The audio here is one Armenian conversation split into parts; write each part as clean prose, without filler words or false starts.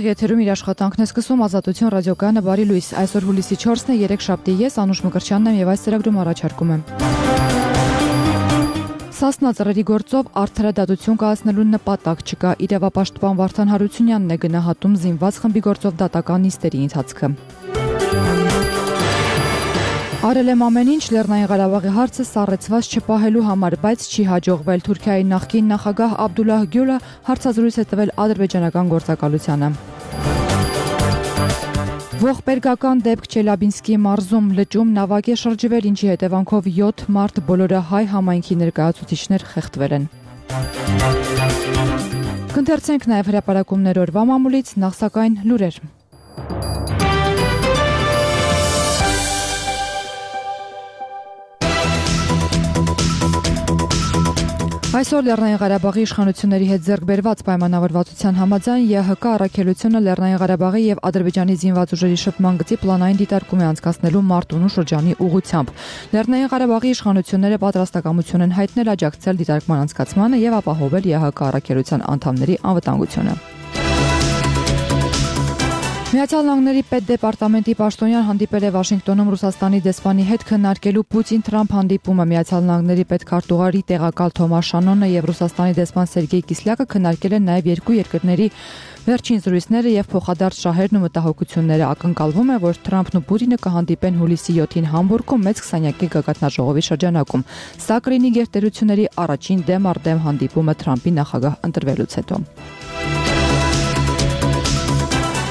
Ուղիղ եթերում իր աշխատանքն է սկսում Ազատություն ռադիոկայանը բարի լույս։ Այսօր հուլիսի 4-ն է, 3 շաբթի, ես Անուշ Մկրտչյանն եմ եւ այս ծրագրում առաջարկում եմ։ Սասնա ծռերի գործով արդարադատություն կայացնելու նպատակ չկա, իրավապաշտպան Վարդան Հարությունյանն է գնահատում զինված խմբի գործով դատական նիստերի ընթացքը։ Արել եմ ամեն ինչ Լեռնային Ղարաբաղի հարցը սառեցված չպահելու համար, բայց չի հաջողվել։ Թուրքիայի նախկին նախագահ Աբդուլլահ Գյուլը հարցազրույց է տվել ադրբեջանական գործակալությանը։ Ողբերգական դեպք Չելաբինսկի մարզում լճում նավակ է շրջվել, ինչի հետևանքով 7 մարդ, բոլորը հայ համայնքի ներկայացուցիչներ խեղդվել են։ Կընթերցենք նաև հրապարակումներ օրվա մամուլից, նախ սակայն լուրեր։ Այսօր Լեռնային Ղարաբաղի իշխանությունների հետ ձեռք բերված պայմանավորվածության համաձայն ԵՀԿ առաքելությունը Լեռնային Ղարաբաղի եւ Ադրբեջանի զինված ուժերի շփման գծի պլանային դիտարկում է անցկացնելու Մարտունու շրջանի ուղղությամբ։ Լեռնային Ղարաբաղի իշխանությունները պատրաստակամություն են հայտնել աջակցել դիտարկման անցկացմանը եւ ապահովել ԵՀԿ առաքելության անդամների անվտանգությունը։ Միացյալ Նահանգների պետդեպարտամենտի պաշտոնյան հանդիպել է Վաշինգտոնում Ռուսաստանի դեսպանի հետ քննարկելու Պուտին-Թրամփ հանդիպումը։ Միացյալ Նահանգների պետքարտուղարի տեղակալ Թոմաս Շանոնը եւ Ռուսաստանի դեսպան Սերգեյ Կիսլյակը քննարկել են նաեւ երկու երկրների վերջին զրույցները եւ փոխադարձ շահերն ու մտահոգությունները։ Ակնկալվում է, որ Թրամփն ու Պուտինը կհանդիպեն հուլիսի 7-ին Համբուրգում մեծ 20-յակի գագաթնաժողովի շրջանակում։ Սա կլինի գերտերությունների առաջին դեմ առ դեմ հանդիպումը Թրամփի նախագահ ընտրվելուց հետո։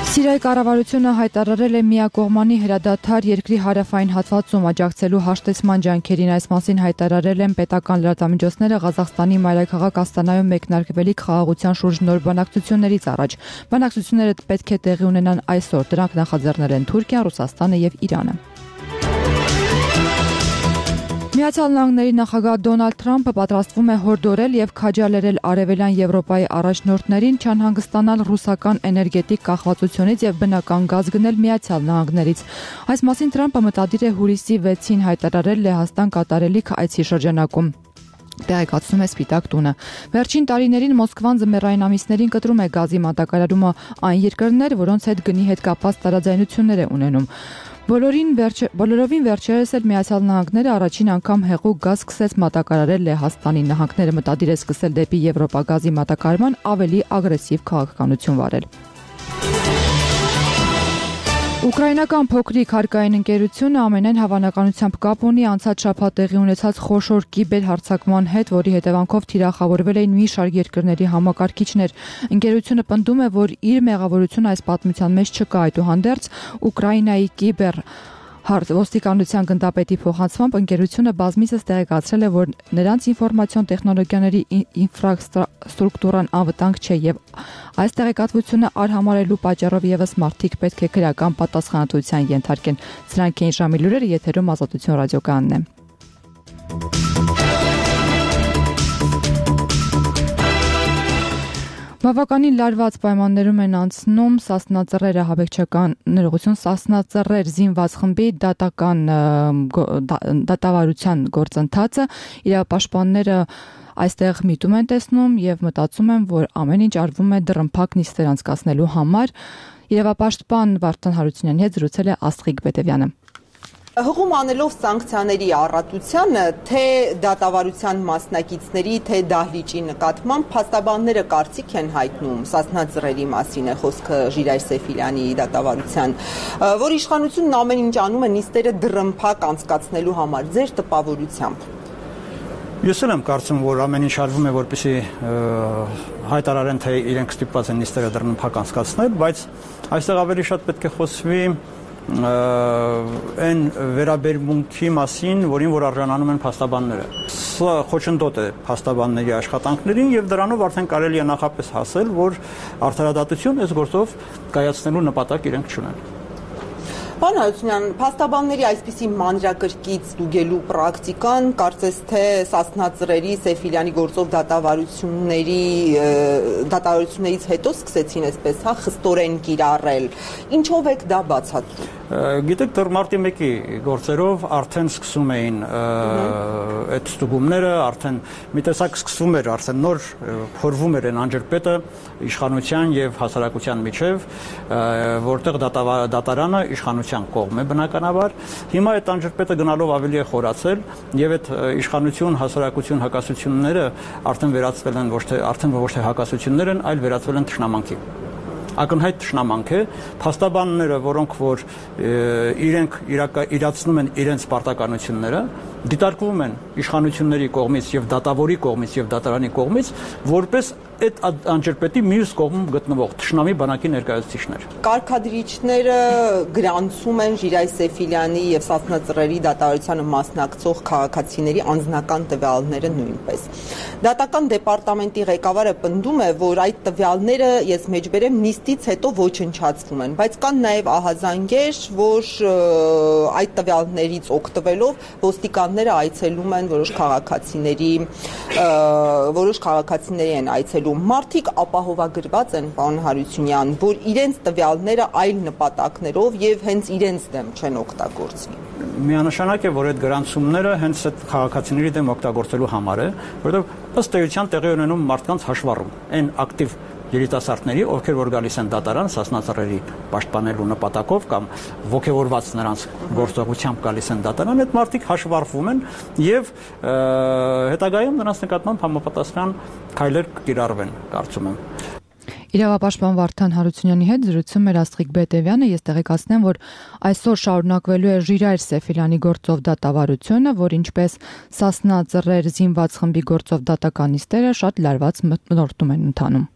Սիրիայի կառավարությունը հայտարարել է միակողմանի հրադադար երկրի հարավային հատվածում աջակցելու հաշտեցման ջանքերին։ Այս մասին հայտարարել են պետական լրատվամիջոցները Ղազախստանի մայրաքաղաք Աստանայում մեկնարկվելիք խաղաղության շուրջ նոր բանակցություններից առաջ։ Բանակցությունները պետք է տեղի ունենան այսօր։ Դրանք նախաձեռնել են Թուրքիան, Ռուսաստանը եւ Իրանը։ Միացյալ Նահանգների նախագահ Դոնալդ Թրամփը պատրաստվում է հորդորել եւ քաջալերել Արևելյան Եվրոպայի առաջնորդներին չանհանգստանալ ռուսական էներգետիկ կախվածությունից եւ բնական գազ գնել Միացյալ Նահանգներից։ Այս մասին Թրամփը մտադիր է հուլիսի 6-ին հայտարարել Լեհաստան կատարելիք այցի շրջանակում։ Տեղեկացնում է Սպիտակ տունը։ Վերջին տարիներին Մոսկվան ձմեռային ամիսներին կտրում է գազի մատակարարումը այն երկրներ, որոնց հետ գնի հետ կապված տարաձայնություններ է ունենում։ Բոլորովին վերջերս էլ Միացյալ Նահանգները առաջին անգամ հեղուկ գազ սկսեց մատակարարել Լեհաստանի։ Նահանգները մտադիր է սկսել դեպի Եվրոպա գազի մատակարարման ավելի ագրեսիվ քաղաքականություն վարել։ Ուկրաինական փոքրիկ հարկային ընկերությունը ամենայն հավանականությամբ կապ ունի անցած շաբաթ տեղի ունեցած խոշոր կիբերհարձակման հետ, որի հետևանքով թիրախավորվել էին մի շարք երկրների համակարգիչներ։ Ընկերությունը պնդում է, որ իր մեղավորությունը այս պատմության մեջ չկա, այդուհանդերձ Ուկրաինայի ոստիկանության գնդապետի փոխանցմամբ ընկերությունը բազմիցս տեղեկացրել է, որ նրանց ինֆորմացիոն տեխնոլոգիաների ինֆրաստրուկտուրան անվտանգ չէ եւ այս տեղեկատվությունը արհամարելու պատճառով եւս մարդիկ պետք է քրեական պատասխանատվության ենթարկեն։ Սրանք էին ժամի լուրերը, եթերում Ազատություն ռադիոկայանն է։ Բավականին լարված պայմաններում են անցնում Սասնա ծռերը հավաքչական ներողություն Սասնա ծռեր զինված խմբի դատավարության գործընթացը։ Իրավապաշտպանները այստեղ միտում են տեսնում եւ մտածում են, որ ամեն ինչ արվում է դռնփակ նիստեր անցկացնելու համար։ Իրավապաշտպան Վարդան Հարությունյանի հետ զրուցել է Աստղիկ Բետևյանը։ Հղում անելով սանկցիաների առատությանը, թե դատավարության մասնակիցների, թե դահլիճի նկատմամբ փաստաբանները կարծիք են հայտնում Սասնա ծռերի մասին է խոսքը Ժիրայր Սեֆիլյանի դատավարության, որ իշխանությունն ամեն ինչ անում է նիստերը դռնփակ անցկացնելու համար, ձեր տպավորությամբ։ Ես էլ եմ կարծում, որ ամեն ինչ արվում է, որպեսզի հայտարարեն, թե իրենք ստիպված են նիստերը դռնփակ անցկացնել, բայց այստեղ ավելի շատ պետք է խոսվի այն վերաբերմունքի մասին, որին որ արժանանում են փաստաբանները։ Սա խոչընդոտ է փաստաբանների աշխատանքներին եւ դրանով արդեն կարելի է նախապես հասել, որ արդարադատություն այս գործով կայացնելու նպատակ իրենք չունեն։ Պարոն Հարությունյան, փաստաբանների այսպիսի մանրակրկիտ ստուգելու պրակտիկան, կարծես թե Սասնա ծռերի Սեֆիլյանի գործով դատավարություններից հետո սկսեցին այսպես, խստորեն կիրառել։ Ինչով եք դա բացատրում։ Գիտեք, դեռ մարտի 1-ի գործերով արդեն սկսում էին այդ ստուգումները, արդեն մի տեսակ սկսվում էր, արդեն նոր փորվում էր այն անջրպետը իշխանության եւ հասարակության միջև, որտեղ դատարանը իշխանության կողմ է բնականաբար։ Հիմա այդ անջրպետը գնալով ավելի է խորացել եւ այդ իշխանություն, հասարակություն հակասությունները արդեն վերածվել են ոչ թե հակասություններ են, այլ վերածվել են թշնամանքի։ Ակնհայտ թշնամանք է, փաստաբանները, որոնք որ իրենք իրացնում են իրենց պարտականությունները, դիտարկվում են իշխանությունների կողմից եւ դատավորի կողմից եւ դատարանի կողմից, որպես այդ անջրպետի մյուս կողմում գտնվող թշնամի բանակի ներկայացուցիչներ։ Կարգադրիչները գրանցում են Ժիրայր Սեֆիլյանի եւ Սասնա Ծռերի դատավարությանը մասնակցող քաղաքացիների անձնական տվյալները նույնպես։ Դատական դեպարտամենտի ղեկավարը պնդում է, որ այդ տվյալները, ես մեջբերեմ, նիստից հետո ոչնչացվում են, բայց կան նաեւ ահազանգեր, որ այդ տվյալներից օգտվելով ոստիկանները այցելում են որոշ քաղաքացիների են այցելում։ Մարդիկ ապահովագրված են, պարոն Հարությունյան, որ իրենց տվյալները այլ նպատակներով եւ հենց իրենց դեմ չեն օգտագործվի։ Միանշանակ է, որ այդ գրանցումները հենց այդ քաղաքացիների դեմ օգտագործելու համար է, որովհետեւ ըստ էության տեղի ունենում մարդկանց հաշվառում, այն ակտիվ երիտասարդների, ովքեր որ գալիս են դատարան Սասնա Ծռերի պաշտպանելու նպատակով կամ ողջավորված նրանց գործողությամբ գալիս են դատարան, այդ մարդիկ հաշվառվում են եւ հետագայում նրանց նկատմամբ համապատասխան քայլեր կիրառվեն, կարծում եմ։ Իրավապաշտպան Վարդան Հարությունյանի հետ զրուցում էր Աստղիկ Բետևյանը, ես տեղեկացնեմ, որ այսօր շարունակվելու է Ժիրայր Սեֆիլյանի գործով դատավարությունը, որ ինչպես Սասնա Ծռեր զինված խմբի գործով դատական նիստերը շատ լարված մթնոլորտում են ընթանում։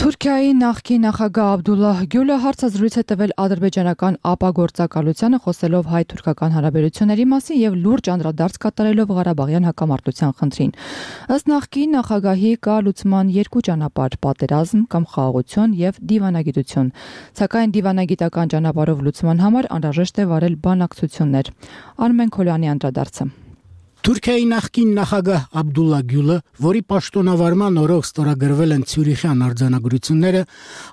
Թուրքիայի նախկին նախագահ Աբդուլլահ Գյուլը հարցազրույց է տվել ադրբեջանական ԱՊԱ գործակալությանը, խոսելով հայ-թուրքական հարաբերությունների մասին եւ լուրջ անդրադարձ կատարելով Ղարաբաղյան հակամարտության խնդրին։ Ըստ նախկին նախագահի կա լուծման երկու ճանապարհ՝ պատերազմ կամ խաղաղություն եւ դիվանագիտություն։ Սակայն դիվանագիտական ճանապարհով լուծման համար անհրաժեշտ է վարել բանակցություններ։ Արմեն Քոլյանի անդրադարձը։ Թուրքիայի նախկին նախագահ Աբդուլլահ Գյուլը, որի պաշտոնավարման օրոք ստորագրվել են Ցյուրիխյան արձանագրությունները,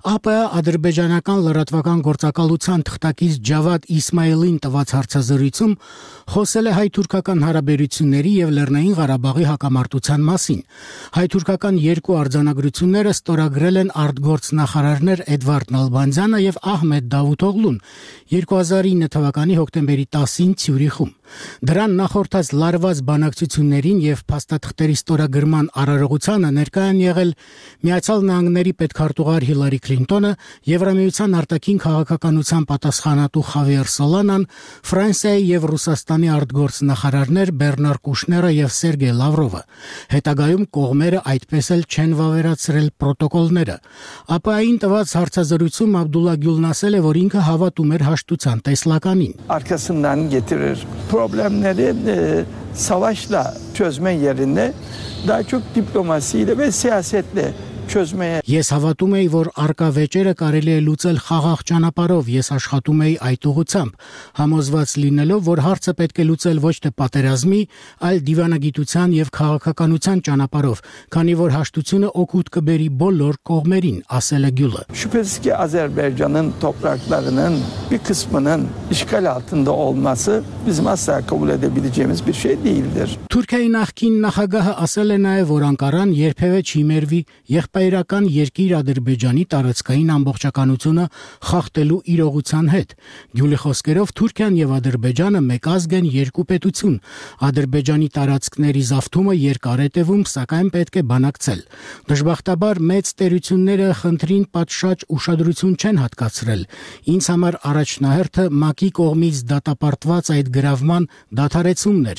ԱՊՀ ադրբեջանական լրատվական գործակալության թղթակից Ջավադ Իսմայելին տված հարցազրույցում խոսել է հայ-թուրքական հարաբերությունների եւ Լեռնային Ղարաբաղի հակամարտության մասին։ Հայ-թուրքական երկու արձանագրությունները ստորագրել են արտգործնախարարներ Էդվարդ Նալբանդյանը եւ Ահմեդ Դավութօղլուն 2009 թվականի հոկտեմբերի 10-ին Ցյուրիխում։ Դրան նախորդած լարված բանակցություններին եւ փաստաթղթերի ստորագրման արարողությանը ներկայ են եղել Միացյալ Նահանգների պետքարտուղար Հիլարի Քլինտոնը, Եվրամիության արտաքին քաղաքականության պատասխանատու Խավիեր Սոլանան, Ֆրանսիայի եւ Ռուսաստանի արտգործնախարարներ Բեռնար Կուշները եւ Սերգեյ Լավրովը։ Հետագայում կողմերը այդպես էլ չեն վավերացրել պրոտոկոլները։ ԱՊՀ-ին տված հարցազրույցում Աբդուլլահ Գյուլն ասել է, որ ինքը հավատում էր հաշտության տեսլականին։ Arkasından getirir. Problemleri savaşla çözme yerine daha çok diplomasiyle ve siyasetle çözmeye. Ես հավատում եի, որ արկա վեճերը կարելի է լուծել խաղաղ ճանապարհով, ես աշխատում էի այդ ուղղությամբ, համոզված լինելով, որ հարցը պետք է լուծել ոչ թե պատերազմի, այլ դիվանագիտության եւ քաղաքականության ճանապարհով, քանի որ հաշտությունը օգուտ կբերի բոլոր կողմերին, ասել է Գյուլը։ Şüphesiz ki Azerbaycan'ın topraklarının bir kısmının işgal altında olması bizim asla kabul edebileceğimiz bir şey değildir. Թուրքիայի նախկին նախագահը ասել է նաև, որ Անկարան երբևէ չի մերվի եղբայրական երկիր Ադրբեջանի տարածքային ամբողջականությունը խախտելու իրողության հետ։ Գյուլի խոսքերով Թուրքիան եւ Ադրբեջանը մեկ ազգ են, երկու պետություն։ Ադրբեջանի տարածքների զավթումը երկար է տևում, սակայն պետք է բանակցել։ Դժբախտաբար մեծ տերությունները խնդրին պատշաճ ուշադրություն չեն հատկացրել։ Ինձ համար առաջնահերթը ՄԱԿ-ի կողմից դատապարտված այդ գրավման դադարեցումն էր։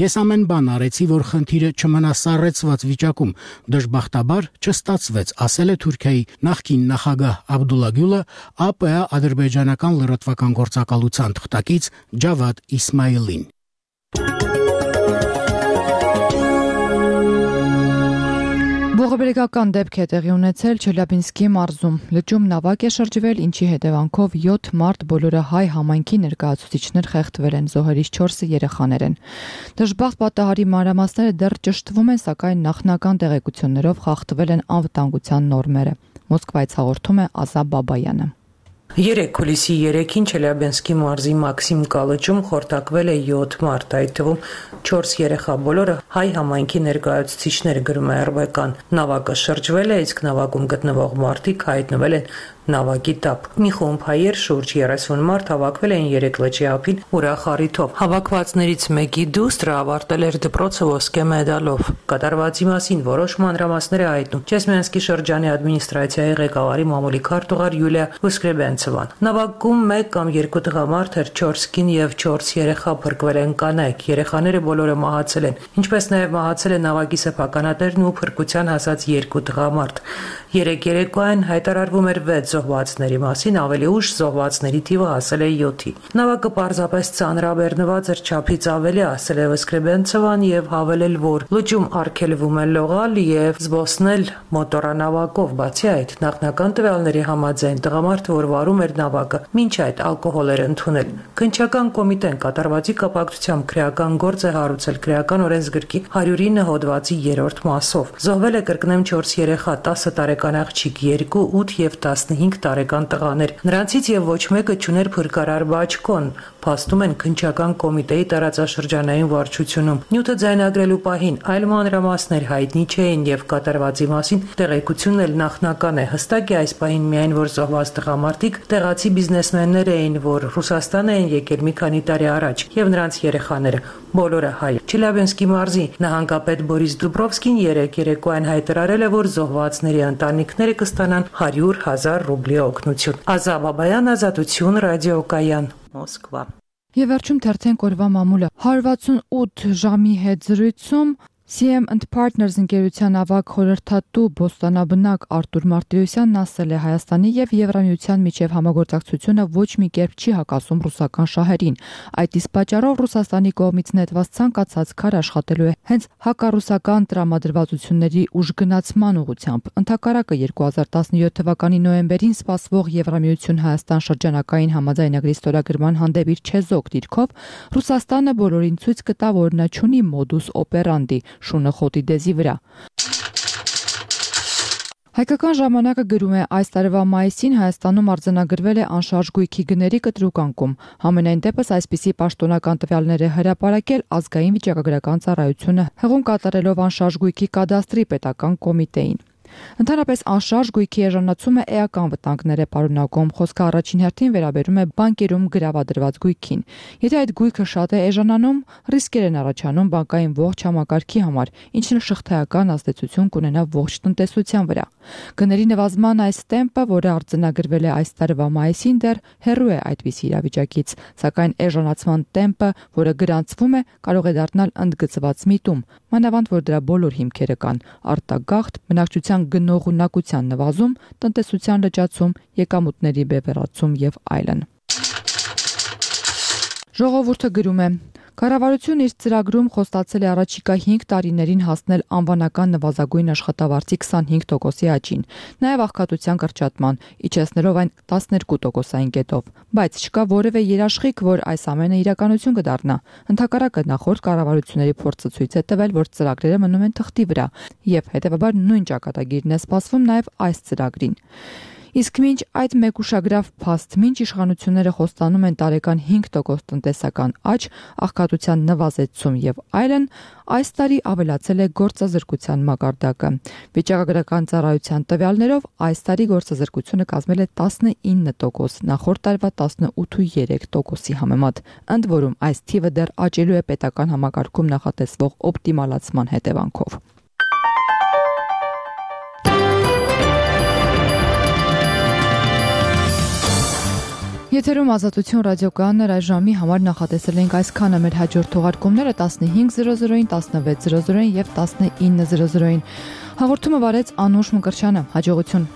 Ես ամեն բան արեցի, որ խնդիրը չմնա սառեցված վիճակում։ Դժբախտաբար չստացվեց, ասել է Թուրքիայի նախկին նախագահ Աբդուլլահ Գյուլը ԱՊՀ ադրբեջանական լրատվական գործակալության թղթակից Ջավադ Իսմայելին։ Ողբերգական դեպք է տեղի ունեցել Չելյաբինսկի մարզում։ Լճում նավակ է շրջվել, ինչի հետևանքով 7 մարդ բոլորը հայ համայնքի ներկայացուցիչներ խեղդվել են, զոհերից 4-ը երեխաներ են։ Դժբախտ պատահարի մանրամասները դեռ ճշտվում են, սակայն նախնական տեղեկություններով խախտվել են անվտանգության նորմերը։ Մոսկվայից հաղորդում է Ազա Բաբայանը։ 3 հուլիսի 3-ին Չելյաբինսկի մարզի Մաքսիմ կալրջում խորտակվել է 7 մարդ, այդ թվում 4 երեխա, բոլորը հայ համայնքի ներկայացուցիչներ, գրում է RBK-ն։ Նավակը շրջվել է, իսկ նավակում գտնվող մարդիկ հայտնվել են նավակի տապ։ Մի խումբ հայեր, շուրջ 30 մարդ հավաքվել էին 3 լճի ափին ուրախ առիթով։ Հավաքվածներից մեկի դուստրը ավարտել էր դպրոցը ոսկե մեդալով։ Կատարվածի մասին որոշ մանրամասներ է հայտնում Չեսմյանսկի շրջանի ադմինիստրացիայի ղեկավարի մամուլի քարտուղար Յուլիա Վսկրեբենցովան։ Նավակում 1 կամ 2 տղամարդ էր, 4 կին եւ 4 երեխա, փրկվել են կանայք։ Երեխաները բոլորը մահացել են, ինչպես նաեւ մահացել է նավակի սեփականատերն ու փրկության հասած 2 տղամարդ։ 3 երեկոյան հայտարարվում էր 6 զոհվածների մասին, ավելի ուշ զոհվածների թիվը հասել է 7-ի։ Նավակը պարզապես ծանրաբեռնված էր, չափից ավելի, ասել է Վսկրեբենցովան եւ հավելել, որ լճում արգելվում է լողալ եւ զբոսնել մոտորանավակով։ Բացի այդ, նախնական տվյալների համաձայն տղամարդը, որ վարում էր նավակը, մինչ այդ ալկոհոլ էր ընդունել։ Քննչական կոմիտեն կատարվածի կապակցությամբ քրեական գործ է հարուցել քրեական օրենսգրքի 109 հոդվածի 3-րդ մասով։ Զոհվել է, կրկնեմ, 4 երեխա, 10 տարեկան աղջիկ, 2, 8 եւ 15 տարեկան տղաներ։ Նրանցից եւ ոչ մեկը չուներ փրկարար բաճկոն, փաստում են քննչական կոմիտեի տարածաշրջանային վարչությունում։ Նյութը ձայնագրելու պահին այլ մանրամասներ հայտնի չէին եւ կատարվածի մասին տեղեկությունն էլ նախնական է։ Հստակ է այս պահին միայն, որ զոհված տղամարդիկ տեղացի բիզնեսմեններ էին, որ Ռուսաստան էին եկել մի քանի տարի առաջ, եւ նրանց երեխաները բոլորը հայ։ Չելյաբինսկի մարզի նահանգապետ Բորիս Դուբրովսկին 3 երեկոյան հայտարարել է, որ զոհվածների ընտանիքները կստանան 100,000 ռուբլի օգնություն։ Ազա Բաբայան, Ազատություն, ռադիոկայան, Մոսկվա։ Եվ վերջում թերթենք օրվա մամուլը։ 168 ժամի հետ զրույցում CM & Partners ընկերության ավագ խորհրդատու բոստանաբնակ Արտուր Մարտիրոսյանն ասել է Հայաստանի եւ Եվրամիության միջև համագործակցությունը ոչ մի կերպ չի հակասում ռուսական շահերին։ Այդ իսկ պատճառով Ռուսաստանի կողմից նետված ցանկացած քար աշխատելու է հենց հակառուսական տրամադրվածությունների ուժգնացման ուղղությամբ։ Ընդհակառակը 2017 թվականի նոյեմբերին սպասվող Եվրամիություն-Հայաստան շրջանակային համաձայնագրի ստորագրման հանդեպ իր չեզոք դիրքով Ռուսաստանը բոլորին ցույց կտա, որ նա չունի մոդուս օպերանդի շունը խոտի դեզի վրա։ Հայկական ժամանակը գրում է այս տարվա մայիսին Հայաստանում արձանագրվել է անշարժ գույքի գների կտրուկ անկում։ Համենայն դեպս այսպիսի պաշտոնական տվյալներ է հրապարակել Ազգային վիճակագրական ծառայությունը, հղում կատարելով անշարժ գույքի կադաստրի պետական կոմիտեին։ Ընդհանրապես անշարժ գույքի էժանացումը էական վտանգներ է պարունակում, խոսքը առաջին հերթին վերաբերում է բանկերում գրավադրված գույքին։ Եթե այդ գույքը շատ է էժանանում, ռիսկեր են առաջանում բանկային ողջ համակարգի համար, ինչն շղթայական ազդեցություն կունենա ողջ տնտեսության վրա։ Գների նվազման այս տեմպը, որը արձանագրվել է այս տարվա մայիսին, դեռ հեռու է այդպիսի իրավիճակից, սակայն էժանացման տեմպը, որը գրանցվում է, կարող է դառնալ ընդգծված միտում, մանավանդ որ դրա բոլոր հիմքերը կան՝ արտագաղթ, բնակչության գնողունակության նվազում, տնտեսության լճացում, եկամուտների բևեռացում եւ այլն։ Ժողովուրդը գրում է. Կառավարությունն իր ծրագրում խոստացել է առաջիկա 5 տարիներին հասնել անվանական նվազագույն աշխատավարձի 25%-ի աճին, նաև աղքատության կրճատման, իջեցնելով այն 12%-ային կետով, բայց չկա որևէ երաշխիք, որ այս ամենը իրականություն կդառնա։ Ընդհակառակը նախորդ կառավարությունների փորձը ցույց է տվել, որ ծրագրերը մնում են թղթի վրա, եւ հետեւաբար նույն ճակատագիրն է սպասվում նաև այս ծրագրին։ Իսկ մինչ այդ մեկուշագրավ փաստ, մինչ իշխանությունները խոստանում են տարեկան 5% տնտեսական աճ, աղքատության նվազեցում եւ այլն, այս տարի ավելացել է գործազրկության մակարդակը։ Վիճակագրական ծառայության տվյալներով այս տարի գործազրկությունը կազմել է 19%, նախորդ տարվա 18.3%-ի համեմատ։ Ընդ որում այս թիվը դեռ աճելու է պետական համակարգում նախատեսվող օպտիմալացման հետևանքով։ Եթերում Ազատություն ռադիոկայանն էր, այս ժամի համար նախատեսել ենք այսքանը, մեր հաջորդ թողարկումները 15:00-ին, 16:00-ին եւ 19:00-ին։ Հաղորդումը վարեց Անուշ Մկրտչյանը, հաջողություն։